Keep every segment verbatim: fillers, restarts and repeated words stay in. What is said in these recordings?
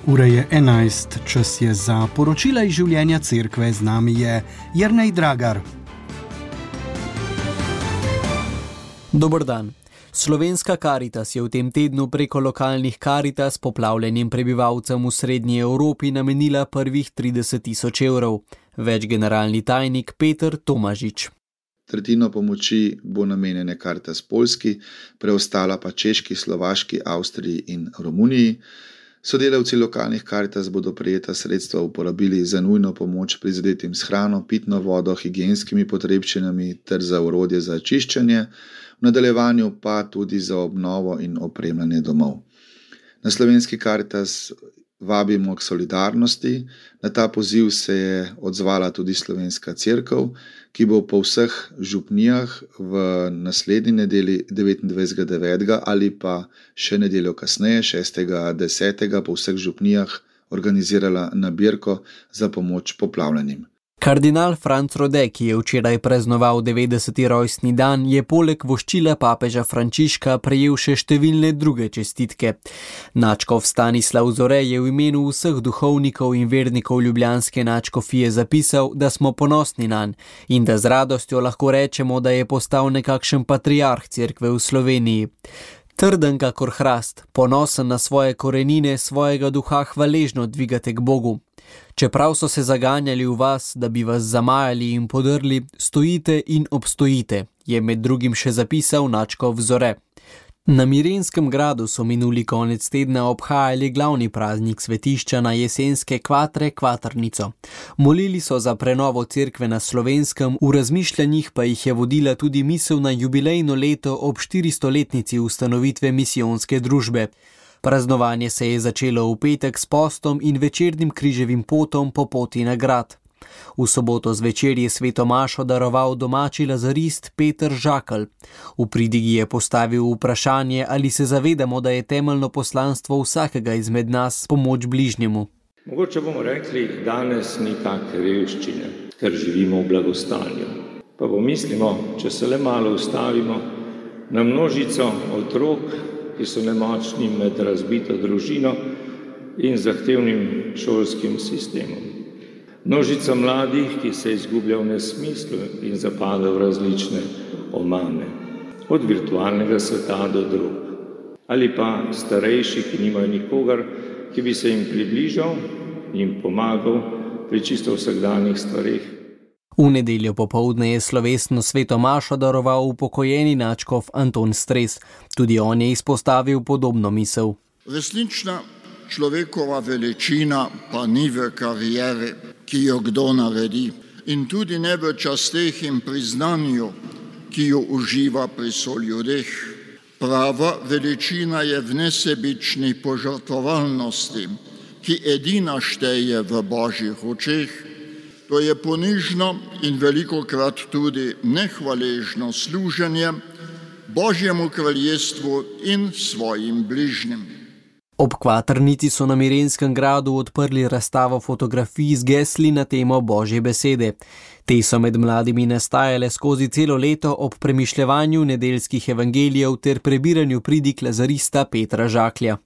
Ura je enajst, čas je za poročila iz življenja cerkve. Z nami je Jernej Dragar. Dober dan. Slovenska Karitas je v tem tednu preko lokalnih Karitas poplavljenim prebivalcem v srednji Evropi namenila prvih trideset tisoč evrov. Več generalni tajnik Peter Tomažič. Tretjino pomoči bo namenjene Karitas Poljski, preostala pa Češki, Slovaški, Avstriji in Romuniji. Sodelavci lokalnih Karitas bodo prejeta sredstva uporabili za nujno pomoč prizadetim s hrano, pitno vodo, higienskimi potrebščinami ter za orodje za čiščenje, v nadaljevanju pa tudi za obnovo in opremljanje domov. Na Slovenski Karitas vabimo k solidarnosti. Na ta poziv se je odzvala tudi Slovenska cerkev, ki bo po vseh župnijah v naslednji nedeli devetindvajsetega devetega ali pa še nedeljo kasneje, šestega desetega po vseh župnijah organizirala nabirko za pomoč poplavljenim. Kardinal Franc Rode, ki je včeraj praznoval devetdeseti rojstni dan, je poleg voščila papeža Frančiška prejel še številne druge čestitke. Nadškof Stanislav Zore je v imenu vseh duhovnikov in vernikov ljubljanske nadškofije zapisal, da smo ponosni nanj in da z radostjo lahko rečemo, da je postal nekakšen patriarh cerkve v Sloveniji. Trden kakor hrast, ponosen na svoje korenine, svojega duha hvaležno dvigate k Bogu. Čeprav so se zaganjali v vas, da bi vas zamajali in podrli, stojite in obstojite, je med drugim še zapisal nadškof Zore. Na Mirenskem gradu so minuli konec tedna obhajali glavni praznik svetišča na jesenske kvatre Kvatrnico. Molili so za prenovo cerkve na Slovenskem, v razmišljanjih pa jih je vodila tudi misel na jubilejno leto ob štiristoletnici ustanovitve misijonske družbe. Praznovanje se je začelo v petek s postom in večernim križevim potom po poti na grad. V soboto zvečer je sveto mašo daroval domači lazarist Peter Žakelj. V pridigi je postavil vprašanje, ali se zavedamo, da je temeljno poslanstvo vsakega izmed nas pomoč bližnjemu. Mogoče bomo rekli, danes ni take revščine, ker živimo v blagostanju. Pa pomislimo, če se le malo ustavimo, na množico otrok, ki so nemočni med razbito družino in zahtevnim šolskim sistemom. Množica mladih, ki se izgublja v nesmislu in zapada v različne omane, od virtualnega sveta do drug. Ali pa starejši, ki nimajo nikogar, ki bi se jim približal, jim pomagal pri čisto vsakdanjih stvareh. V nedeljo popoldne je slovesno sveto mašo daroval upokojeni nadškof Anton Stres. Tudi on je izpostavil podobno misel. Resnična človekova veličina pa ni v karieri, ki jo kdo naredi, in tudi ne v časteh in priznanju, ki jo uživa pri soljudeh. Prava veličina je v nesebični požrtvovalnosti, ki edina šteje v Božjih očeh. To je ponižno in velikokrat tudi nehvaležno služenje Božjemu kraljestvu in svojim bližnjim. Ob Kvatrnici so na Mirenskem gradu odprli razstavo fotografij z gesli na temo Božje besede. Te so med mladimi nastajale skozi celo leto ob premišljevanju nedeljskih evangelijev ter prebiranju pridig lazarista Petra Žaklja.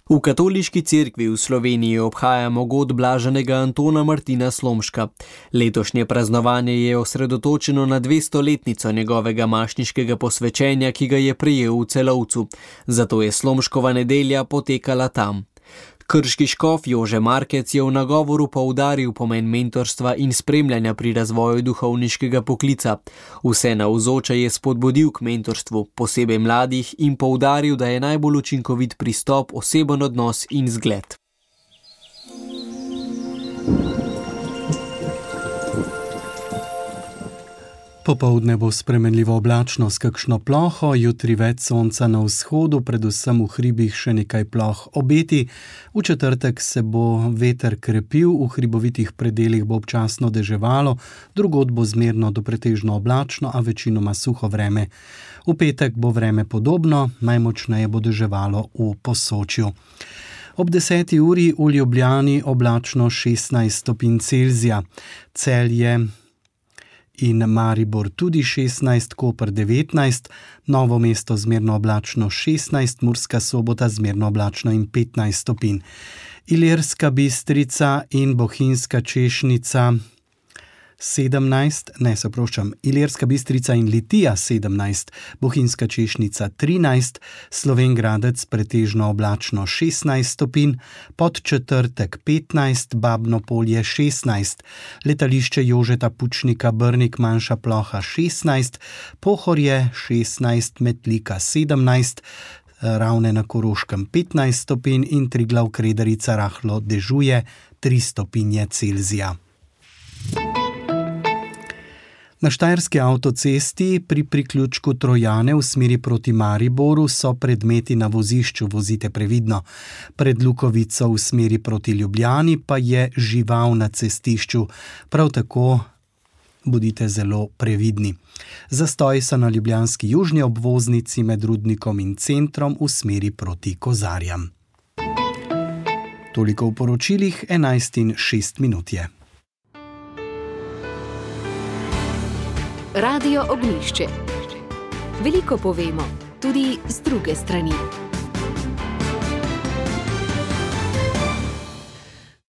V katoliški cerkvi v Sloveniji obhajamo god blaženega Antona Martina Slomška. Letošnje praznovanje je osredotočeno na dvestoletnico njegovega mašniškega posvečenja, ki ga je prejel v Celovcu. Zato je Slomškova nedelja potekala tam. Krški škof Jože Markec je v nagovoru poudaril pomen mentorstva in spremljanja pri razvoju duhovniškega poklica. Vse navzoče je spodbudil k mentorstvu, posebej mladih, in poudaril, da je najbolj učinkovit pristop oseben odnos in zgled. Popoldne bo spremenljivo oblačno s kakšno ploho, jutri več sonca na vzhodu, predvsem v hribih še nekaj ploh obeti. V četrtek se bo veter krepil, v hribovitih predelih bo občasno deževalo, drugod bo zmerno do pretežno oblačno, a večinoma suho vreme. V petek bo vreme podobno, najmočneje bo deževalo v Posočju. Ob deseti uri v Ljubljani oblačno šestnajst stopinj Celzija, Celje in Maribor tudi šestnajst, Koper devetnajst, Novo mesto zmerno oblačno šestnajst, Murska Sobota zmerno oblačno in petnajst stopinj. Ilirska Bistrica in Bohinjska Češnica sedemnajst, ne se oproščam, Ilirska Bistrica in Litija sedemnajst, Bohinjska Češnica trinajst, Slovenj Gradec pretežno oblačno šestnajst stopinj, Podčetrtek petnajst, Babno Polje šestnajst, Letališče Jožeta Pučnika Brnik manjša ploha šestnajst, Pohorje šestnajst, Metlika sedemnajst, Ravne na Koroškem petnajst stopinj in Triglav Kredarica rahlo dežuje tri stopinje Celzija. Na Štajerski avtocesti pri priključku Trojane v smeri proti Mariboru so predmeti na vozišču, vozite previdno. Pred Lukovico v smeri proti Ljubljani pa je žival na cestišču. Prav tako bodite zelo previdni. Zastoj so na ljubljanski južni obvoznici med Rudnikom in Centrom v smeri proti Kozarjam. Toliko v poročilih, enajst in šest minut je. Radio Ognjišče. Veliko povemo, tudi z druge strani.